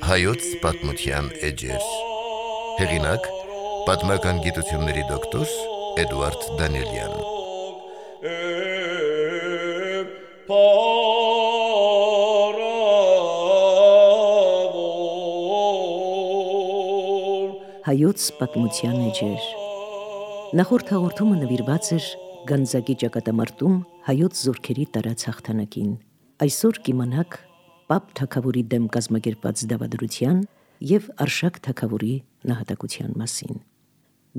Հայոց պատմության էջեր։ Հեղինակ՝ պատմական գիտությունների դոկտոր Էդուարդ Դանիելյան։ Հայոց պատմության էջեր։ Նախորդ հաղորդումը նվիրված էր Գանձակի ճակատամարտում հայոց զորքերի տարած հաղթանակին։ Այսօր կիմանաք Պապ թագավորի դեմ կազմակերպած դավադրության և Արշակ թագավորի նահատակության մասին։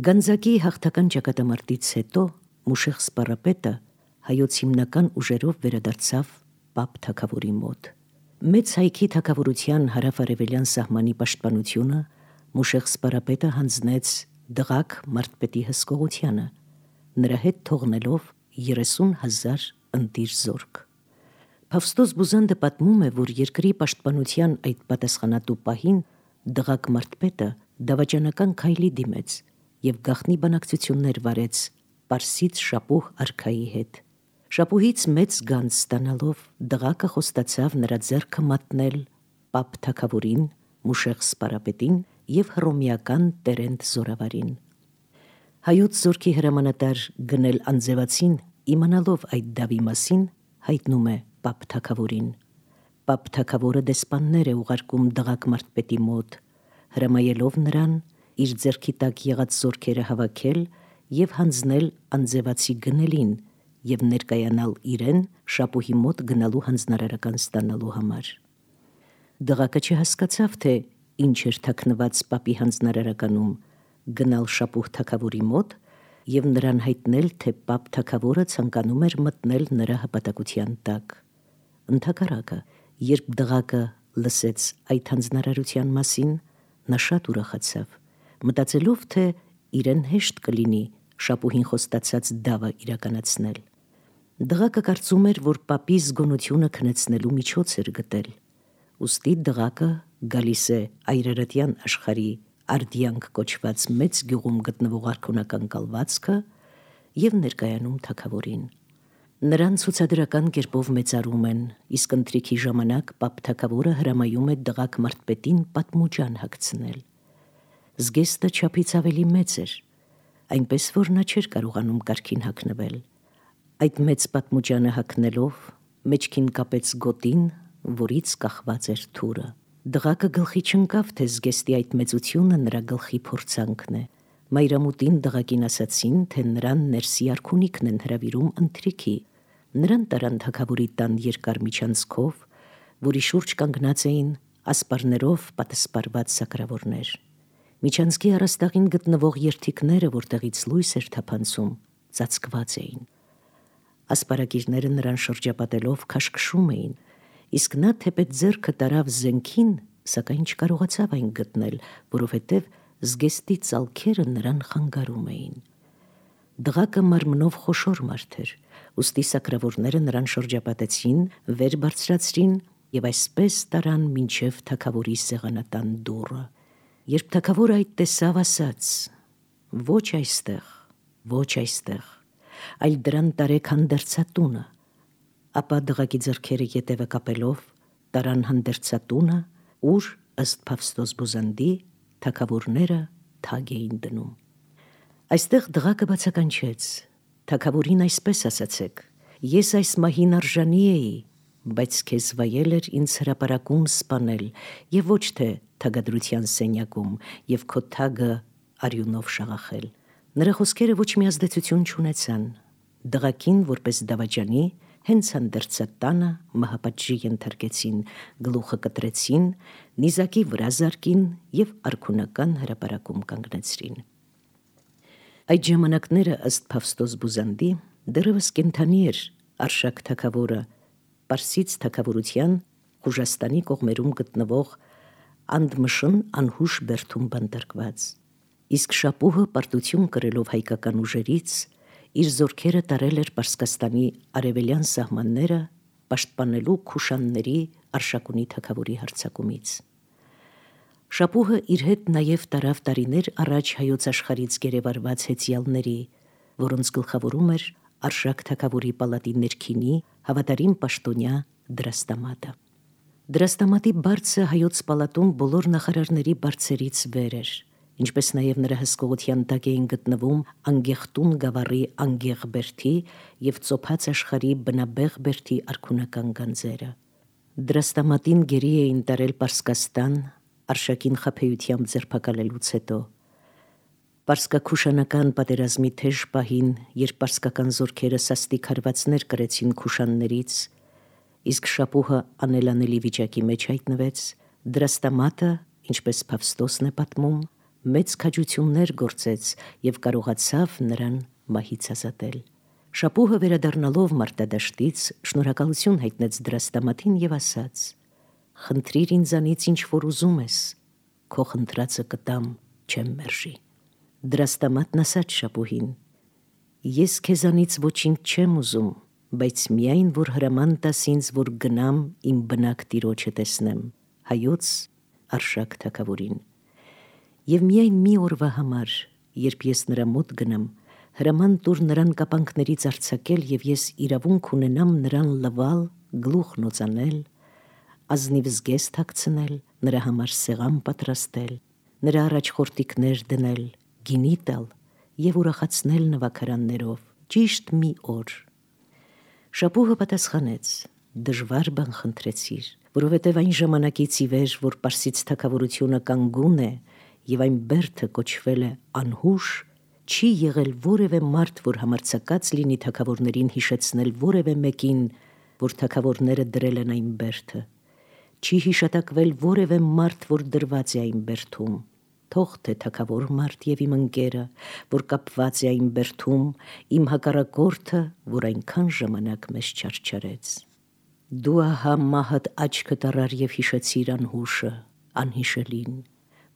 Գանձակի հաղթական ճակատամարտից հետո Մուշեղ Սպառապետը հայոց հիմնական ուժերով վերադարձավ Պապ թագավորի մոտ։ Մեծ հայքի թագավորության հարավ-արևելյան սահմանի պաշտպանությունը Մուշեղ Սպառապետը հանձնեց Դղակ մարդպետի հսկողությանը, նրա հետ թողնելով 30,000 ընտիր զորք։ Փավստոս Բուզանդը պատմում է, որ երկրի պաշտպանության այդ պատասխանատու պահին Դղակ մարդպետը դավաճանական քայլի դիմեց և գաղտնի բանակցություններ վարեց Պարսից Շապուհ արքայի հետ։ Շապուհից մեծ գանձ ստանալով Դղակը խոստացավ նրա ձեռքը մատնել Պապ թագավորին, Մուշեղ Սպառապետին և հռոմեական Տերենդ զորավարին։ Հայոց զորքի հրամանատար Գնել Անձևացին, իմանալով այդ դավի մասին, հայտնում է Պապ թագավորին։ Պապ թագավորը դեսպաններ է ուղարկում Դղակ մարդպետի մոտ, հրամայելով նրան իր ձեռքի տակ եղած զորքերը հավաքել և հանձնել Անձևացի Գնելին և ներկայանալ իրեն Շապուհի մոտ գնալու հանձնարարական ստանալու համար։ Դղակը չհասկացավ, թե ինչ էր թաքնված Պապի հանձնարարականում, գնալ Շապուհ թագավորի մոտ և նրան հայտնել, թե Պապ թագավորը ցանկանում էր մտնել նրա հպատակության տակ։ Ընդհակառակը, երբ Դղակը լսեց այդ հանձնարարության մասին, նա շատ ուրախացավ, մտածելով, թե իրեն հեշտ կլինի Շապուհին խոստացած դավը իրականացնել։ Դղակը կարծում էր, որ Պապի զգոնությունը քնեցնելու միջոց էր գտել, ուստի Դղակը գալիս է այրարատյան աշխարհի Արդիանք կոչված մեծ գյուղում գտնվող արքունական կալվածքը և ներկայանում թագավորին։ Նրան ցուցադրական կերպով մեծարում են, իսկ ընթրիքի ժամանակ Պապ թագավորը հրամայում է Դղակ մարդպետին պատմուջան հագցնել։ Զգեստը չափից ավելի մեծ էր, այնպես որ նա չէր կարողանում կարգին հագնվել։ Այդ մեծ պատմուջանը հագնելով մեջքին կապեց գոտին, որից կախված էր թուրը։ Դղակը գլխի չընկավ, թե զգեստի այդ մեծությունը նրա գլխի փորձանքն է։ Մայրամուտին Դղակին ասացին, թե նրան ներսի արքունիքն են հրավիրում ընթրիքի։ Նրան տարան թագավորի տան երկար միջանցքով, որի շուրջ կանգնած էին ասպարներով պատսպարված սակրավորներ։ Միջանցքի առաստաղին գտնվող երթիկները, որտեղից լույս էր թափանցում, ծածկված էին։ Ասպարագիրները նրան շրջապատելով քաշքշում էին, իսկ նա թեպետ ձեռքը տարավ զենքին, սակայն չկարողացավ այն գտնել, որովհետև զգեստի ծալքերը նրան խանգարում էին։ Դղակը մարմնով խոշոր մարդ էր, ուստի սակրավորները նրան շրջապատեցին, վեր բարձրացրին և այսպես տարան մինչև թագավորի սեղանատան դուռը։ Երբ թագավորը այդ տեսավ, ասաց. «Ոչ այստեղ, ոչ այստեղ, այլ դրան տարեք հանդերձատունը», ապա Դղակի ձեռքերը ետևը կապելով տարան հանդերձատունը, ուր, ըստ Փավստոս Բուզանդի, թագավորները թագ էին դնում։ Այստեղ Դղակը բացականչեց. «Թագավորին այսպես ասացեք. ես այս մահին արժանի էի, բայց քեզ վայել էր ինձ հրապարակում սպանել և ոչ թե թագադրության սենյակում և քո թագը արյունով շաղախել»։ Նրա խոսքերը ոչ մի ազդեցություն չունեցան։ Դղակին, որպես դավաճանի, հենց հանդերձատանը մահապատժի ենթարկեցին, գլուխը կտրեցին, նիզակի վրա զարկին և արքունական հրապարակում կանգնեցրին։ Այդ ժամանակները, ըստ Փավստոս Բուզանդի, դեռևս կենդանի էր Արշակ թագավորը Պարսից թագավորության Խուժաստանի կողմերում գտնվող Անդմշն անհուշ բերդում բանտարկված, իսկ Շապուհը պարտություն կրելով հայկական ուժերից իր զորքերը տարել էր Պարսկաստանի արևելյան սահմանները պաշտպանելու Քուշանների Արշակունի թագավորի հարձակումից։ Շապուհը իր հետ նաև տարավ տարիներ առաջ հայոց աշխարհից գերեվարված հեծյալների, որոնց գլխավորում էր Արշակ թագավորի պալատի ներքինի հավատարիմ պաշտոնյա Դրաստամատը։ Դրաստամատի բարձը հայոց պալատում բոլոր նախարարների բարձերից վեր էր, ինչպես նաև նրա հսկողության տակ էին գտնվում Անգեղտուն գավառի Անգեղ Բերդի և Ծոփած աշխարհի Բնաբեղ Բերդի արքունական գանձերը։ Դրաստամատին գերի էին տարել Պարսկաստան, Արշակին խաբեությամբ ձերբակալելուց հետո։ Պարսկաքուշանական պատերազմի թեժ պահին, երբ պարսկական զորքերը սաստիկ հարվածներ կրեցին քուշաններից, իսկ Շապուհը անելանելի վիճակի մեջ հայտնվեց, Դրաստամատը, ինչպես Փավստոսն է պատմում, մեծ քաջություններ գործեց և կարողացավ նրան մահից ազատել։ Շապուհը վերադառնալով մարտադաշտից շնորհակալություն հայտնեց Դրաստամատին և ասաց. «Խնդրիր ինձանից ինչ որ ուզում ես, քո խնդրածը կտամ, չեմ մերժի»։ Դրաստամատն ասաց Շապուհին. «Ես քեզանից ոչինչ չեմ ուզում, բայց միայն որ հրաման տաս ինձ, որ գնամ իմ բնակ տիրոջը տեսնեմ, հայոց Արշակ թագավորին։ Եվ միայն մի օրվա համար, երբ ես նրա մոտ գնամ, հրաման տուր նրան կապանքներից արձակել և ես իրավունք ունենամ նրան լվալ, գլուխ նոծանել, ազնիվ զգեստ հագցնել, նրա համար սեղան պատրաստել, նրա առաջ խորտիկներ դնել, գինի տալ և ուրախացնել նվագարաններով, ճիշտ մի օր»։ Շապուհը պատասխանեց. «Դժվար բան խնդրեցիր, որովհետև այն ժամանակից ի վեր, որ Պարսից թագավորությունը կանգուն է և այն բերդը կոչվել է անհուշ, չի եղել որևէ մարդ, որ համարձակած լինի թագավորներին հիշեցնել որևէ մեկին, որ թագավորները դրել են այն բերդը, չի հիշատակվել որևէ մարդ, որ դրված է այն բերդում, թող թե թագավոր մարդ և իմ ընկերը, որ կապված է այն բերդում, իմ հակառակորդը, որ այնքան ժամանակ մեզ չարչարեց։ Դու ահա մահդ աչքդ առար և հիշեցիր անհուշը, անհիշելին,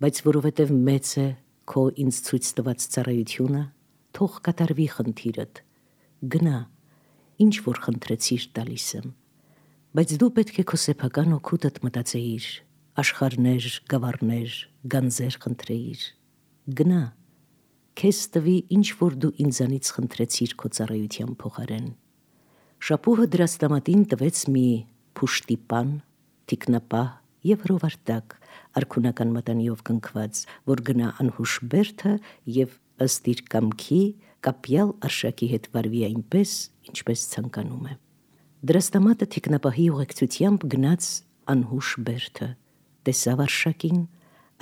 բայց որովհետև մեծ է քո ինձ ցույց տված ծառայությունը, թող կատարվի խնդիրդ, գնա, ինչ որ խնդրեցիր տալիս եմ, բայց դու պետք է քո սեփական օգուտդ մտածեիր, աշխարհներ, գավառներ, գանձեր խնդրեիր, գնա, քեզ տվի ինչ որ դու ինձանից խնդրեցիր քո ծառայության փոխարեն։ Շապուհը Դրաստամատին տվեց մի փուշտիպան, թիկնապահ և հրովարտակ, արքունական մատանիով կնքված, որ գնա անհուշ բերդը և ըստ իր կամքի կապյալ Արշակի հետ վարվի այնպես, ինչպես ցանկանում է։ Դրաստամատը թիկնապահի ուղեկցությամբ գնաց անհուշ բերդը, տեսավ Արշակին,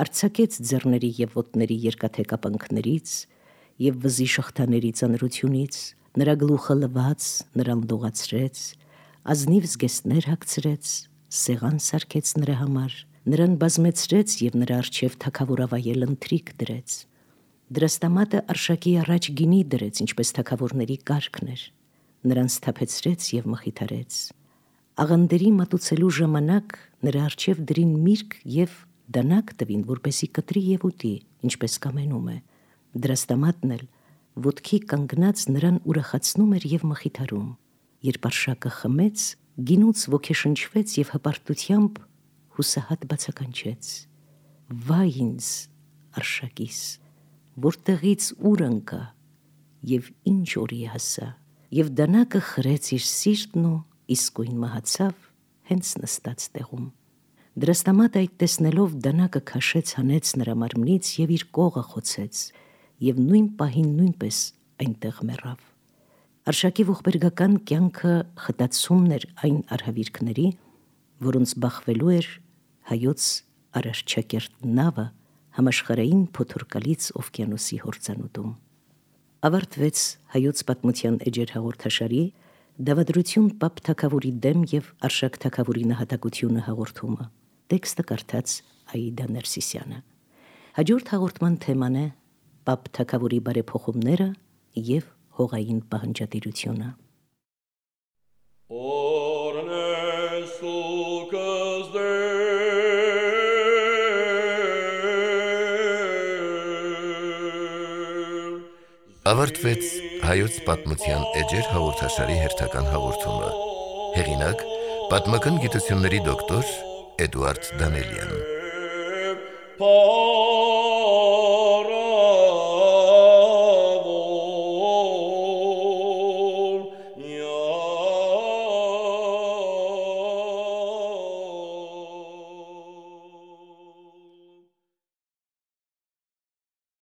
արձակեց ձեռների և ոտների երկաթե կապանքներից և վզի շղթաների ծանրությունից, նրա գլուխը լվաց, նրան լողացրեց, ազնիվ զգեստներ հագցրեց, սեղան սարքեց նրա համար, նրան բազմեցրեց և նրա առջև թագավորավայել ընթրիք դրեց։ Դրաստամատը Արշակի առաջ գինի դրեց, ինչպես թագավորների կարգն էր, նրան սթափեցրեց և մխիթարեց։ Աղանդերի մատուցելու ժամանակ նրա առջև դրին միրգ և դանակ տվին, որպեսզի կտրի և ուտի, ինչպես կամենում է։ Դրաստամատն էլ ոտքի կանգնած նրան ուրախացնում էր և մխիթարում։ Երբ Արշակը խմեց, գինուց ոգեշնչվեց և հպարտությամբ հուսահատ բացականչեց. «Վայ ինձ, Արշակիս, որտեղից ուր ընկա և ինչ օրի հասա»։ Եվ դանակը խրեց իր սիրտն ու իսկույն մահացավ հենց նստած տեղում։ Դրաստամատը այդ տեսնելով դանակը քաշեց հանեց նրա մարմնից և իր կողը խոցեց և նույն պահին նույնպես այնտեղ մեռավ։ Արշակի ողբերգական կյանքը խտացումն էր այն արհավիրքների, որոնց բախվելու էր հայոց արարչակերտ նավը համաշխարհային փոթորկալից օվկիանոսի հորձանուտում։ Ավարտվեց հայոց պատմության էջեր հաղորդաշարի «Դավադրություն Պապ թագավորի դեմ և Արշակ թագավորի նահատակությունը» հաղորդումը։ Տեքստը կարդաց Աիդա Ներսիսյանը։ Հաջորդ հաղորդման թեման է Պապ թագավորի բարեփոխումները և հողային պահանջատիրությունը։ Ավարտվեց հայոց պատմության էջեր հաղորդաշարի հերթական հաղորդումը։ Հեղինակ՝ պատմական գիտությունների դոկտոր Էդուարդ Դանելյան։